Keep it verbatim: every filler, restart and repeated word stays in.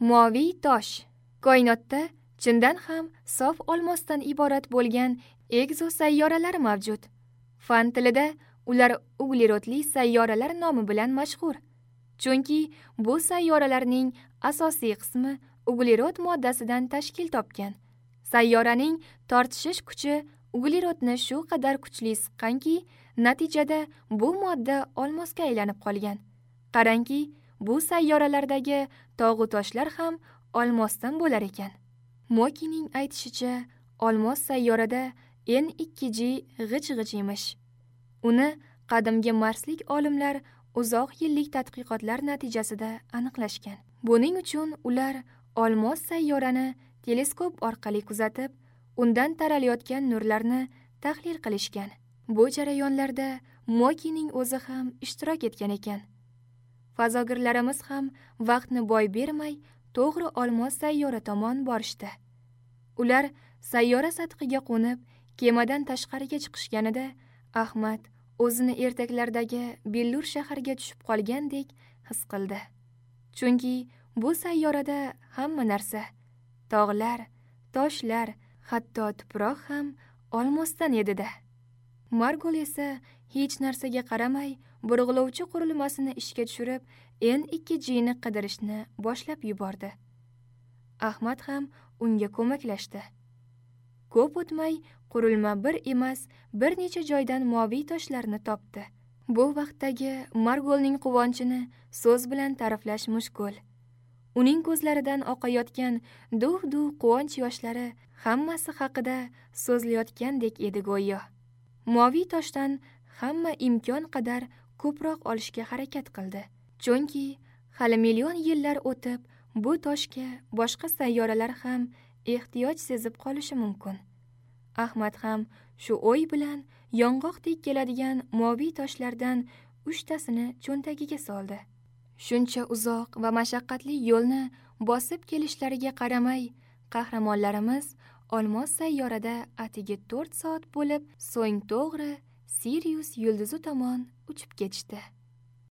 Moviy tosh. Koinotda chindan ham sof olmosdan iborat bo'lgan ekzosayyoralar mavjud. Fan tilida ular uglerodli sayyoralar nomi bilan mashhur. Chunki bu sayyoralarning asosiy qismi uglerod moddasidan tashkil topgan. Sayyoraning tortishish kuchi uglerodni shu qadar kuchli siqqanki, natijada bu modda olmosga aylanib qolgan. Qarangki, bu sayyoralardagi tog'u toshlar ham olmosdan bo'lar ekan. Mokining aytishicha, olmos sayyorada N ikki G g'ij-g'ij emish. Uni qadimgi marslik olimlar uzoq yillik tadqiqotlar natijasida aniqlashgan. Buning uchun ular olmos sayyorani teleskop orqali kuzatib, undan taralayotgan nurlarni tahlil qilishgan. Bu jarayonlarda Mokining o'zi ham ishtirok etgan ekan. Fazogirlarimiz ham vaqtni boy bermay, to'g'ri olmos sayyora tomon borishdi. Ular sayyora sathiga qo'nib, kemadan tashqariga chiqishganida Ahmad o'zini ertaklardagi billur shaharga tushib qolgandek his qildi. Chunki bu sayyorada hamma narsa, tog'lar, toshlar, hatto tuproq ham olmosdan edi-da. Margol esa hech narsaga qaramay, burg'ulovchi qurilmasini ishga tushirib, N ikki G ni qidirishni boshlab yubordi. Ahmad ham unga ko'maklashdi. Ko'p o'tmay qurilma bir emas, bir necha joydan moviy toshlarni topdi. Bu vaqtdagi Margolning quvonchini so'z bilan ta'riflash mushkul. Uning ko'zlaridan oqayotgan duv-duv quvonch yoshlari hammasi haqida so'zlayotgandek edi go'yo. Moviy toshdan hamma imkon qadar ko'proq olishga harakat qildi. Chunki hali million yillar o'tib, bu toshga boshqa sayyoralar ham ehtiyoj sezib qolishi mumkin. Ahmad ham shu o'y bilan yong'oqdek keladigan moviy toshlardan uchtasini cho'ntagiga soldi. Shuncha uzoq va mashaqqatli yo'lni bosib kelishlariga qaramay, qahramonlarimiz olmos sayyorada atigi to'rt soat bo'lib, so'ng to'g'ri Sirius yulduzi tomon uchib ketishdi.